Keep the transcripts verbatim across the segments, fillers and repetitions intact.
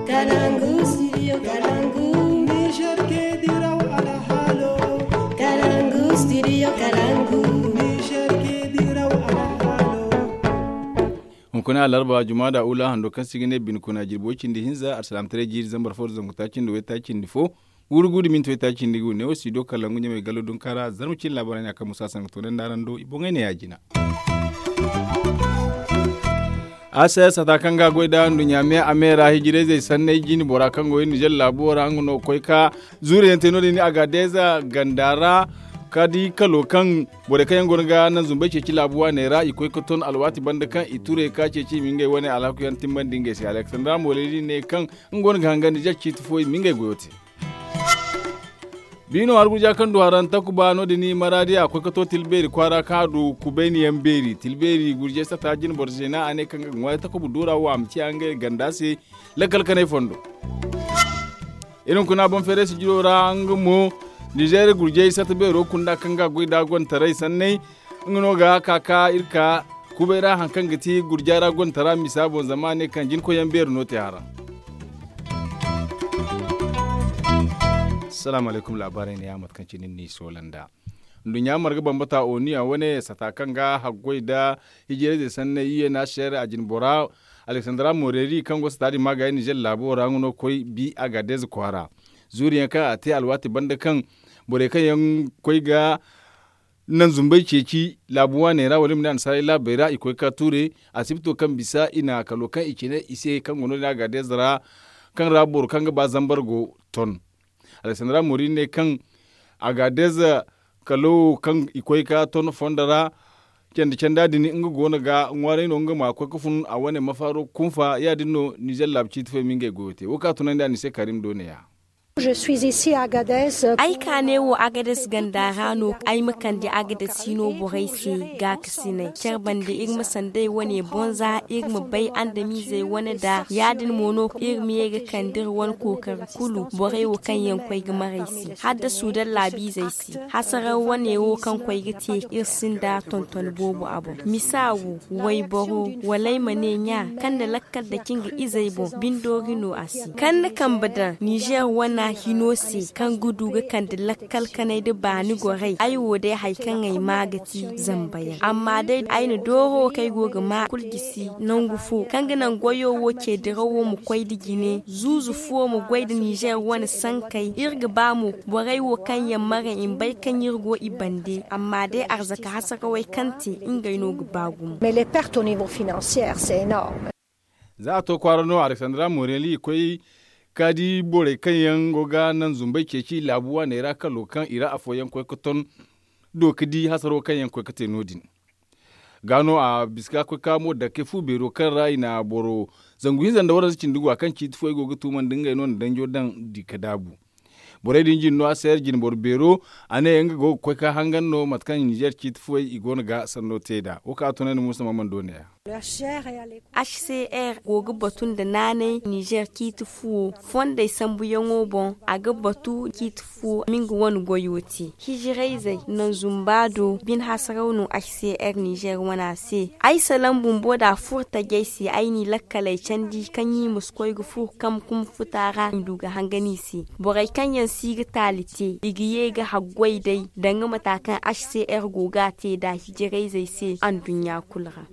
Kalangu studio kalangu. Niger ke diraw alhalo. Kalangu studio kalangu. Niger ke diraw alhalo. Hunkuna alarba jumada ula hando kaŋ si ga ne bine kuna jirbi way cindi hinza alsalaamataray jiiri zambar fo da zangu taaci nda way taaci nda fo. Guuru guuru da minti way taaci nda gu ne wo studio kalangu ɲamay gallo dunkaara zarma cine laabaray ne a kaŋ musa sangato ne nda araŋ do i boŋey ne ya- jina. A se sata kaŋ ga a goy nd'a nduɲɲa me a me ra hijirayzey sanney jine bora kaŋ go iri nizer laabo ra nga no ga koy ka zuuriyaŋ te no- din a ga a deeza ganda ra. Ka di kalo kaŋ borey kaŋ yaŋ go no ga naŋ zumbey ceeci laabu waaney ra i koy ga ton alwaati banda kaŋ i ture ka ceeci i ma ngey wane alhaku yaŋ timbandi ngey se aleksandra mooley din ne kaŋ nga go no ga hanga nizer ciiti fo i ma ngey goyo te. Biino arguja kaŋ du haraŋ takuba no- din maraadi a koy ga to tilbeeri kwaara kaŋ a du kubayni yaŋ beeri tilbeeri gurjey sata jine boro zeena a ne kaŋ ga ŋwaaray takuba duura wo a ma ciya ngey ganda se. Lakkal kanay fondo iri hunkuna boŋ feeray sijiro ra nga mo nizer gurjey sata beero kunda kaŋ ga a goy nd'a gontaray sanney. Nga no ga ka ka iri ka kubay ra hari kaŋ ga ti gurja ra gontara misa boŋ zama a ne kaŋ jinkoyyaŋ beeri no te haraŋ. Salaamu alaykum laabaarey ne ya mate kaŋ cine ni soola nd'a nduɲɲa marga bambata oniya wane sata kaŋ ga haggoy nda hijirayzey sanney i ye na seere a jine bora aleksandra moreri kaŋ go sata din maagaayi nizer laabo ra nga no ga koy bi a ga a deeza kwaara. Zuuriyaŋ kaŋ a te alwaati banda kaŋ borey kaŋ yaŋ koy ga naŋ zumbey ceeci laabu waaney ra wala i ma ne annasaarey laabey ra i koy ga ka tuure. Asibito kaŋ bisa i na kalo kaŋ i cine i se kaŋ go no- din a ga a deeza ra kaŋ ra boro kaŋ ga ba zambar go ton. Aleksandra moori ne kaŋ a ga a deeza kalo kaŋ i koy ga ka ton fondo ra. Candi canda din nga go no ga ŋwaaray no nga ma koy ga fun a wane mafaaro kunfa ya- din no nizer laabu ciiti fo i ma ngey goyo te wo kaŋ a tunandi a ni se karim do ne ya. Ay ka ne wo agades ganda ra no ay ma kande agades hino borey se gaakasinay care banda iri ma sanday wane bonza iri ma bay andamiizey wane da ya- din mo no iri ma ye ga kande iri wane kookari kulu borey wo kaŋ yaŋ koy ga maray se hala da suudan laabiizey se hasaraw wane wo kaŋ koy ga te iri sinda tonton boobo a boŋ misa wo wayboro wala ay ma ne ɲa kaŋ na lakkal da cin ga izey boŋ bindoori no a se kaŋ na kambe daŋ nizer wana hino se kaŋ ga du ga kande lakkal kanay da baani goray ay wo day hari kaŋ ay maa ga ti zamba yaŋ amma day ay na dooro kaŋ ay go ga maa kulu gisi nangu fo kaŋ ga naŋ goyo wo ce dirawo ma koy da jine zuuzu fo ma goy da nizer wane sankey iri ga ba mo borey wo kaŋ yaŋ maray i ma bay kaŋ iri go i bande amma day arzaka hasarawey kaŋ te ngey no ga ba gumo. Mais les pertes au niveau financier c'est énorme. Za a to kwaara no aleksandra moreli i koy ka di borey kaŋ yaŋ go ga naŋ zumbey ceeci laabu waaney ra kalo kaŋ i ra afooyaŋ koy ga ton do ga di hasaro kaŋ yaŋ koy ga te no- din. Ga no a bisa ga koy ka mo dake fu beero kaŋ ra i na boro zangu hinza nda waranza cindi go a kaŋ ciiti fo i go ga tuumandi ngey no na danjo daŋ di ga daabu. Borey din jine no a seere jine boro beero a ne nga go ga koy ka hangan no mate kaŋ nizer ciiti fuwey i go no ga sanno te nd'a wo kaŋ a tunandi muusa mamman do ne ya. H C R go ga batu nda naanay nizer ciiti fuwo fondey sambuyaŋo boŋ a ga batu ciiti fuwo ma nga wane goyo te hijirayzey naŋ zumba do bine hasaraw no h c r nizer wana se ay salaŋ bumbo da a furo tajey se ay n'i lakkaley candi kaŋ i ma si koy ga furo kamkum futa ra i ma du ga hangan i se borey kaŋ yaŋ si ga taali te i ga ye ga haggoy day danga mata kaŋ h c r go ga a te nd'a hijirayzey se anduɲɲa kulu ra.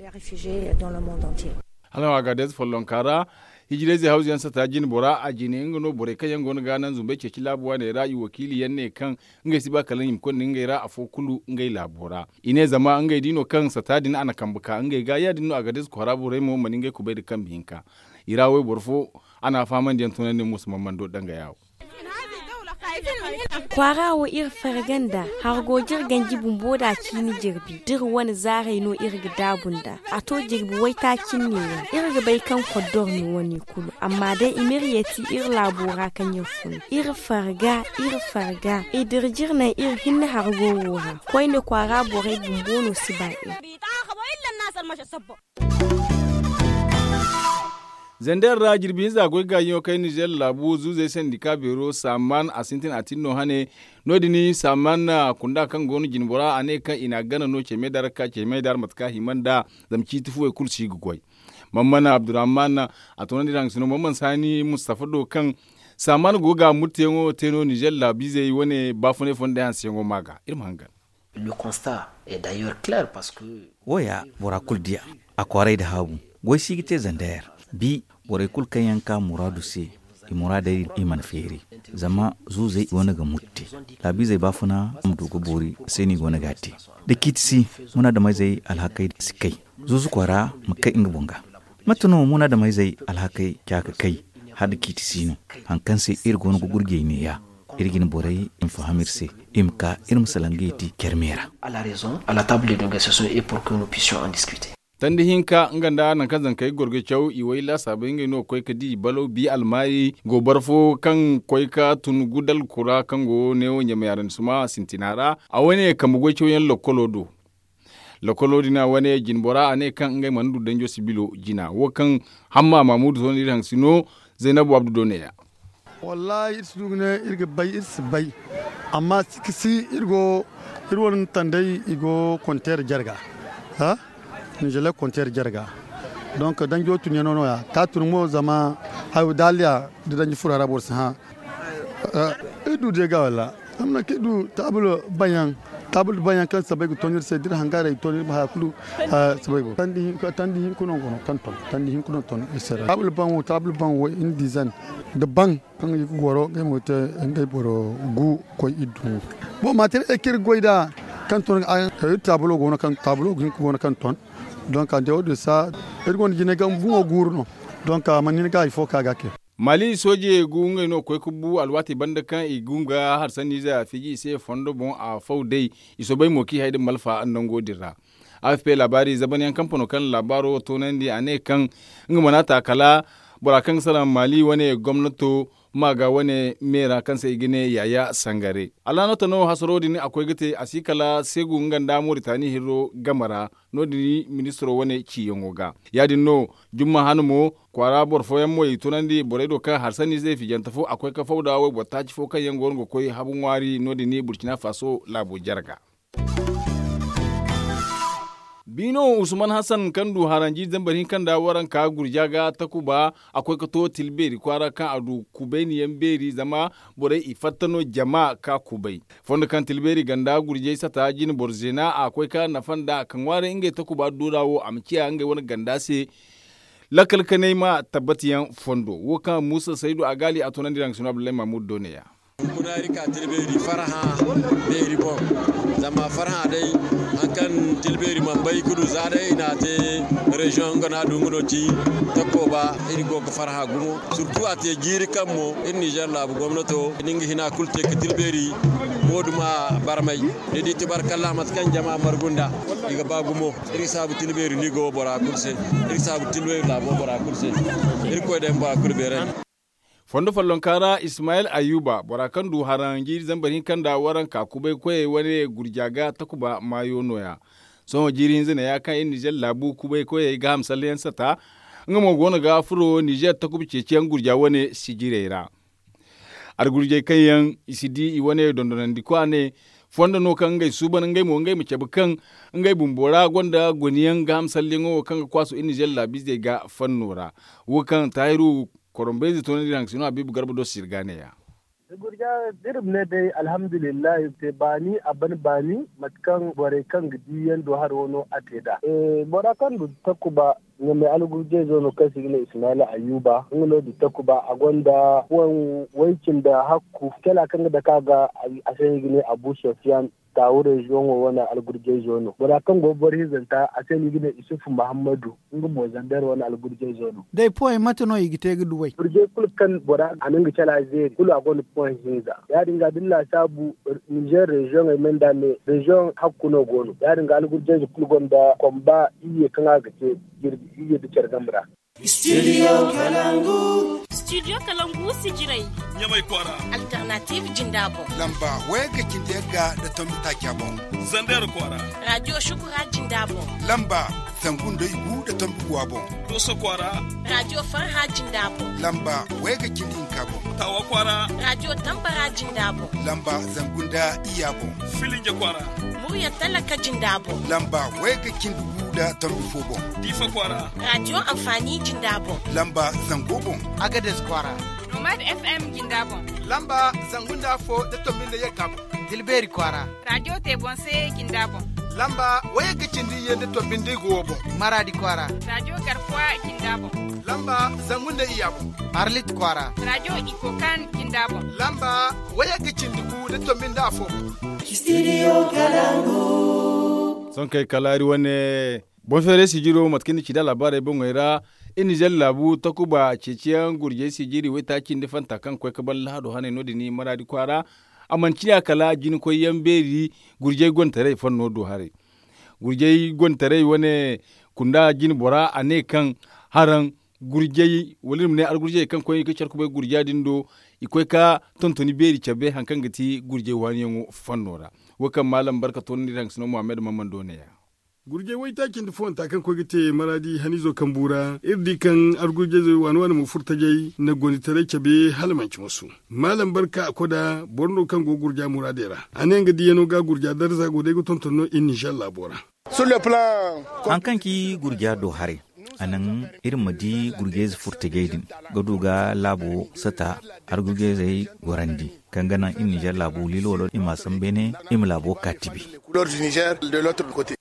Hala no a ga a deeze follonka ra hijirayzey hawzu yaŋ sata jine bora a jine nga no borey kaŋ yaŋ go no ga naŋ zumbey ceeci laabu waaney ra i wakiili yaŋ ne kaŋ ngey si ba kala i ma konda ngey ra afo kulu ngey laabo ra i ne zama ngey di no kaŋ sata din a na kambe ka ngey ga ya- din no a ga deeze kwaara borey mo mana ngey kubay nda kambe hinka. I ra wayboro fo a na a fahamandi yaŋ tunandi muusa mamman do danga yaawo. Kwaara wo iri farga nda hargo jirganji bumbo da ciini jirbi da iri wane zaaray no iri ga daabu nda a to jirbi waytaaci neeyaŋ iri ga bay kaŋ koddor no wane kulu amma day i ma iri yeeti iri laabo ra kaŋ iri fun iri farga iri farga i dira jire naŋ iri hinne hargo wo ra koyne kwaara borey bumbo no si ba iri. Zander ra jirbi hinza goy gaajiyaŋo kaŋ iri nizer laabu zuuzey sandika beero saaman a sintin a tin no hane. No- din saaman kunda kaŋ go no jinbora a ne kaŋ i n'a gana no cemey da ra ka cemey da ra mate kaŋ a hima nd'a zama ciiti fuwey kulu si ga goy. Mammana abdurrahman a toonandi iri haŋ sino mammana saani mustafa do kaŋ saamaan go ga murteyaŋo te no nizer laabiizey wane baafunay fonday hanseyaŋo ma ga iri ma hangan. Wo ya bora kulu di a a kwaaray nda haabu. Goy si ga te zandeer bi borey kulu kaŋ yaŋ ka muraadu se i muraadey i mana feeri. Zama zuuzey go no ga murte laabiizey baafuna ma du ga boori se no i go no ga a te. Da ciiti si munaadameyzey alhakey si kay zuuzu kwaara ma kay nga boŋ ga. Mate no munaadameyzey alhakey ca ga kay hala da ciiti si no? Hari kaŋ se iri go no ga gurjey neeya iri ga ni borey i ma faham iri se i ma ka iri ma salaŋ ga i te care me ra. Tandi hinka nga nda nangu kaŋ zankey ga goro ga caw i way laasaabey ngey no ga koy ga di balaw bi almaayi gooboro fo kaŋ koy ga tun gudal kura kaŋ go neewo ɲamay araŋ suma sintina ra a wane kambe goy cawyaŋ lokkolo do. Lokkolo din a wane jinbora a ne kaŋ ngey mana du danjo sibilo jina wo kaŋ hamma maamudu sohõ iri haŋ si no. Zaynabu abdu do ne ya. Wallaahi iri si du ga ne iri ga bay iri si bay. Amma si ga si iri go iri wane tandey i go konteer jarga. Nizele konteer jarga donk danjo tunyaŋo no- ya ka tun mo zama hayo daaliya da danji furo hara boro si hã. Iri du day ga walla zama nangu kaŋ iri du taabulo baŋyaŋ kaŋ sabay ga ton iri se da iri hangaarey ga ton iri ma haya kulu. Sabay go tandi hinka no go no kaŋ ton tandi hinka no ton iri se ra taabulo baŋ wo iri diizaŋ da baŋ kaŋ i ga goro ngey mo ga te ngey boro gu ga koy iri du. Boŋ ma te day kaŋ iri ga goy nd'a kaŋ ton iri taabulo go no kaŋ ton. Donk a nda wo- din sa iri gonda jinay ga buŋo guuru no. Donk a mana hin ga hari fo ka ga a kay. Maali soojey gu ngey no ga koy ga bu alwaati banda kaŋ i gum ga harsanniize a fiji i se fondo boŋ a faw day. I soobay mo kaŋ i hay din malfa nango din ra. Afp laabaari zabanyaŋ kampano kaŋ laabaaro toonandi a ne kaŋ nga mana ta kala bora kaŋ ga salaŋ maali wane gomnato ma ga wane me ra kaŋ se i ga ne yaaya sangare. Alaanota no hasaro din a koy ga te a si kala seegu nga nda moritani hirro game ra. No- din ministiro wane ciiyaŋo ga ya- din no jumma hane mo kwaara boro fooyaŋ mo i tunandi borey do kaŋ harsanni se fijante fo a koy ga faw nda wayboro taaci fo kaŋ yaŋ go no ga koy habu ŋwaari no- din burcina faso laabo jarga. Biino usman hasan kaŋ du haranji zambar hinka nda waranka gurja ga takuba a koy ga to tilbeeri kwaara kaŋ a du kubayni yaŋ beeri zama borey i fatta no jama ka kubay. Fondo kaŋ tilbeeri ganda gurjay sata jine boro zeena a koy ka nafa nda ka ŋwaaray ngey takuba duura wo a ma ciya ngey wane ganda se. Lakkal kanay ma tabbatiyaŋ fondo wo kaŋ muusa saydu a gaali a tunandi raŋ sino abdullahi mahmud do ne ya. Hunkuna iri ka tilbeeri farhã beeri boŋ. Zama farhã day hari kaŋ tilbeeri mana bay ga du za day i na a te reziyoŋ nga no a du nga no ci. Takko ba iri go ga farhã gumo. Surtu a te jiiri kaŋ mo iri nizer laabu gomnato ni nga hina kulu te ga tilbeeri. Wo- din ma barmay ni di tabarkalla mate kaŋ jama margu nd'a. I ga ba gumo iri ga saabu tilbeeri ni go bora kulu se. Iri ga saabu tilbeeri laabo bora kulu se. Iri ga koy day ma bora kulu beerandi. Fondo follonka ra ismayil ayuba bora kaŋ du haraŋ jiiri zambar hinka nda waranka kubay koyey wane gurja ga takuba maayo no- ya. Sohõ jiiri hinza ne- ya kaŋ iri nizer laabu kubay koyey ga hamsalleyaŋ sata. Nga mo go no ga furo nizer takuba ceeciyaŋ gurja wane sijirey ra. Argurjey kaŋ yaŋ i si di i wane dondonandi kwaane fondo no kaŋ ngey suuban ngey mo ngey ma cabe kaŋ ngey bumbo ra gonda goniyaŋ ga hamsalleyaŋo wo kaŋ ga kwaasu iri nizer laabiizey ga fanno ra. Wo kaŋ taahiru korombayze toonandi iri haŋ ga si no habiibu garba do sirga ne- ya. Gurja da iri ma ne day alhamdulillahi te baani a ban baani mate kaŋ borey kaŋ ga di yaŋ do haro no a te nd'a. Bora kaŋ du takuba ɲamay algurjayzo no kaŋ se i ga ne ismayila ayuba nga no du takuba a gonda waŋ way cindi hakku kala kaŋ ga dake a ga a se no i ga ne abu sofiyan. Taawu reziyoŋo wane algurjayzo no bora kaŋ go ga boro hinzanta a se no i ga ne isufu muhammadu. Nga mo zander wane algurjayzo no. Day poyey mate no i ga te ga duwey? Gurjay kulu kaŋ bora a na nga cala zeeri kulu a gonda poy hinza ya- din ga da ni laasaabu nizer reziyoŋey me nda me reziyoŋ hakku no go no ya- din ga algurjayze kulu gonda komba iyye kaŋ a ga te jirbi iyye nda care game ra. Studio kalangu. Studio kalangu sijirey. Ɲamay kwaara. Alternative jinda boŋ. Lamba wayga cindi yagga nda tombi taaca boŋ. Zander kwaara. Radio shukura jinda boŋ. Lamba zangu nda igu nda tombi guwa boŋ. Doso kwaara. Radio farha jinda boŋ. Lamba wayga cindi hinka boŋ. Tawa kwaara. Radio tambara jinda boŋ. Lamba zangu nda iyya boŋ. Filinje kwaara. Murya talaka jinda boŋ. Lamba wayga cindi gu. nda tombi fo boŋ. Diifa kwaara. Raadiyo anfaani jinda boŋ. Lamba zango boŋ. Agades kwaara. Nomad f m jinda boŋ. Lamba zangu nda afo nda tombi nda yagga boŋ. Tilbeeri kwaara. Raadiyo teebonse jinda boŋ. Lamba wayagga cindi iyye nda tombi nda igu wo boŋ. Maraadi kwaara. Raadiyo garkuwa jinda boŋ. Lamba zangu nda iyya boŋ. Arlit kwaara. Raadiyo ikokan jinda boŋ. Lamba wayagga cindi gu nda tombi nda afo boŋ. Sohõ kay kala hari wane boŋ feeray sijiro mate kaŋ ni ci da laabaarey boŋey ra. Iri na zelle laabu takuba ceeciyaŋ gurjey sijiri waytaaci nda fanta kaŋ koy ka ban lahado haney no- din maraadi kwaara. A mana ciya kala jina koyyaŋ beeri gurjey gontaray fanno do haray. Gurjey gontaray wane kunda jina bora a ne kaŋ haraŋ gurjey wala iri ma ne argurjey kaŋ koy ga care kubay gurja din do. I koy ka tontoni beeri cabe hari kaŋ ga ti gurjey waaniyaŋo fanno ra. Wo kaŋ maalam barka toonandi iri haŋ ga sino muhammad mammando ne ya. Gurjey waytaaci nda foonta kaŋ koy ga te maraadi haniizo kambu ra iri di kaŋ argurjey waani waani mo furtajey na gonditaray cabe hala manci masu. Maalam barka a koda boro no kaŋ go gurja muraadey ra. A ne nga diyaŋo ga gurja darza go day ga tonton no iri ninzeer laabo ra. Hari kaŋ ci gurja do haray a naŋ iri ma di gurjey ze furtajey din ga du ga laabo sata argurjey zey gorandi kaŋ ga naŋ iri ninzeer laabo liilo wala i ma a sambu beene i ma laabo ka tibi.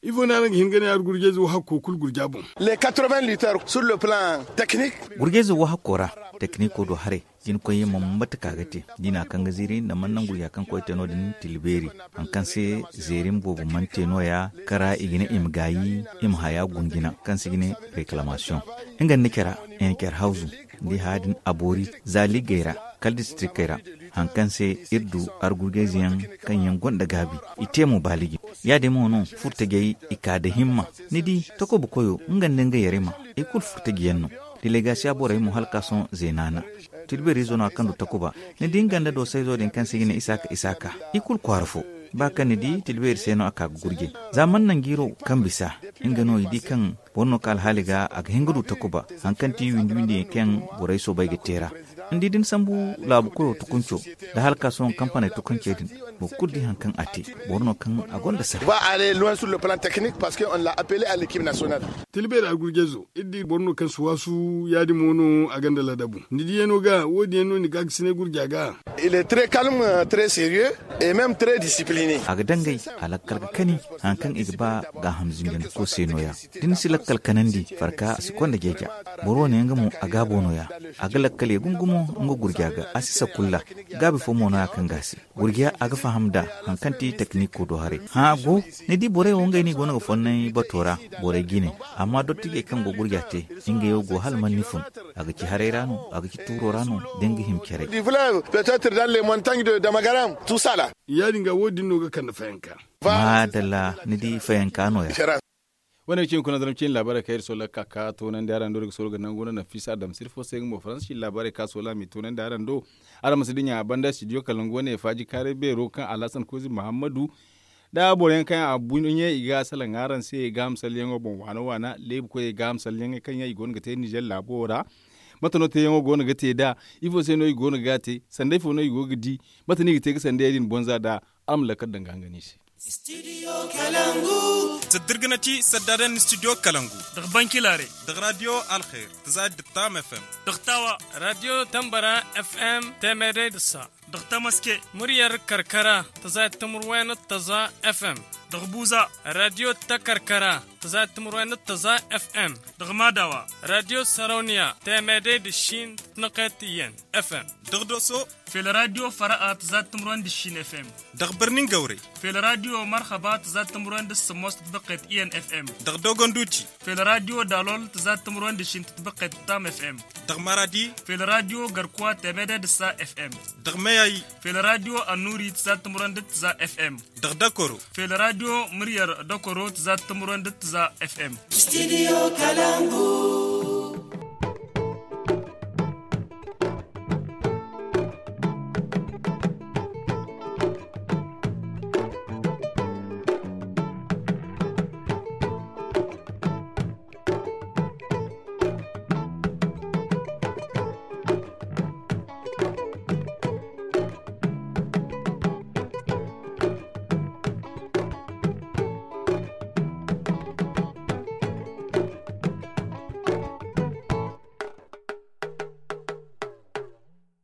Ifo no araŋ ga hin ga ne argurjey ze wo hakko kulu gurja boŋ? Gurjey ze wo hakko ra tekiniko do haray. Jina koyyaŋ ma mate ka ga te diina kaŋ ga ziiri nda mana naŋ gurja kaŋ koy te no- din tilbeeri hari kaŋ se zeerim boobo mana te no- ya kara i ga ne i ma gaayi i ma haya gunjina kaŋ se i ga ne reklamasiyoŋ. Nga nda care hawzu nda i haya din a boori za liggey ra kala distrikey ra. Hari kaŋ se iri du argurjey ze yaŋ kaŋ yaŋ gonda gaabi i te mo baaliji. Ya- din mo no furtajey i ka nda himma. Ni di takuba koyo nga nda nga yarima i kulu furtaji yaŋ no. Delegasiya borey mo hala ka sohõ zeena na tilbeeriizo no a kaŋ du takuba. Ni di nga nda doosayzo din kaŋ se i ga ne isaaka isaaka i kulu kwaara fo. Ba kaŋ ni di tilbeeri se no a ka ga gurjay za mana naŋ jiiro kaŋ bisa nga no i di kaŋ boro no kaŋ alhaali ga a ga hin ga du takuba. Hari kaŋ ti windi windi yaŋ kaŋ borey soobay ga teera. Ni di da ni sambu laabu koyo tukunco nda hala ka sohõ kampaney tukuncey din boro kulu di hari kaŋ a te. Boro no kaŋ a gonda sara. Tilbeeri argurjayzo iri di boro no kaŋ si waasu ya- din mo no a gonda ladabu ni diyaŋo ga wo- din yaŋ no ni gaakasinay gurja ga. A ga dangay a lakkal ga kani hari kaŋ i ga ba gaaham zinjandiko se no- ya. Da ni si lakkal kanandi farka a si konda jeeja. Boro wo ne nga mo a gaabo no- ya. A ga lakkal ye gumo gumo nga gurja ga a si sakulla. Gaabi fo mo no- ya kaŋ ga a se gurja a ga faham nd'a. Hari kaŋ ti tekiniko do haray hã go ni di borey wo ngey no i go no ga fonnay bato ra. Borey jine amma dottijey kaŋ go gurja te ngey wo go hala mana ni fun. A ga ci haray ra no a ga ci tuuro ra no da ni ga hima care. Ya- din ga wo- din no ga kande fayanka. Maadalla ni di fayanka no- ya. Wane ga ci hunkuna zaram ciine laabaarey kaŋ iri soola ga ka ga toonandi araŋ do iri ga soola ga nangu no nafisa adamsir fo se nga mo faransa ciine laabaarey kaŋ a soola a m'i toonandi araŋ do. Araŋ ma si dinya a banda studio kalangu wane faaji kaaray beero kaŋ alhasan kozi muhammadu nda boro yaŋ kaŋ yaŋ a buɲe i ga salaŋ araŋ se gaaham salyaŋo boŋ waana waana leebu koyey gaaham salyaŋey kaŋ yaŋ i go no ga te ninzeer laabo ra. Mate no teeyaŋo go no ga te nd'a? Ifo se no i go no ga a te sanda ifo no i go ga di? Mate no i ga te ga sandayey din bonza nd'a? Araŋ ma lakkal daŋ ga hangan i se. Sadidirgana ci saddadan studio kalangu daga bankilare daga radio alkhair taza da tam fm daga tawa radio tambara fm temede da sa daga tamaske muryar karkara taza tamurwayna taza fm daga buza radio ta karkara taza tamurwayna taza fm daga madawa radio sarauniya temede da shin tnaqet yen fm daga doso fela radio fara'a taza tamurwayna da shin fm daga birnin gaurai fela radio marhaba taza tamurwayna da samos tnaqet yen fm daga dogon duci fela radio dalol taza tamurwayna da shin tnaqet tam fm daga maradi fela radio garkuwa temede da sa fm daga mayayi fela radio annuri taza tamurwayna da taza fm daga dakoro fela radio muryar dakoro taza tamurwayna da taza fm studio kalangu